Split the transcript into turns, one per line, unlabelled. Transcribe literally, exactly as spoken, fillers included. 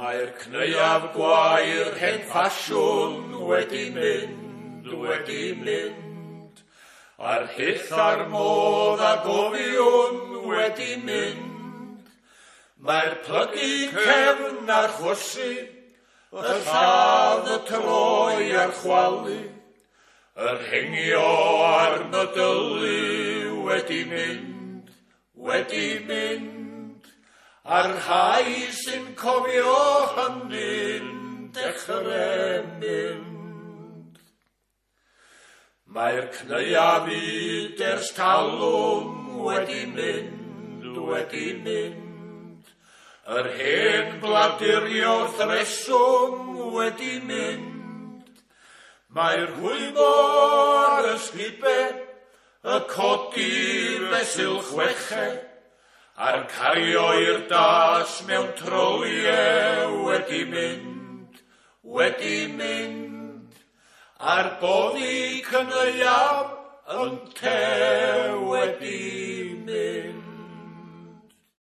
Mae'r cneuaf gwair hen ffasiwn wedi mynd, wedi mynd, a'r hyll a'r modd a gofiwn wedi mynd. Mae'r plygu cefn a'r chwysu, y lladd, y troi a'r chwalu, yr hengio a'r mydylu wedi mynd, wedi mynd, a'r rhai sy'n cofio hynny'n dechrau mynd. Mae'r cneuaf fyd ers talwm wedi mynd, wedi mynd, yr hen bladurio wrth reswm wedi mynd. Mae'r rhwymo ar ysgube, y codi fesul chweched, a'r cario i'r das mewn troliau wedi mynd, wedi mynd, a'r boddi cyneuaf yn te wedi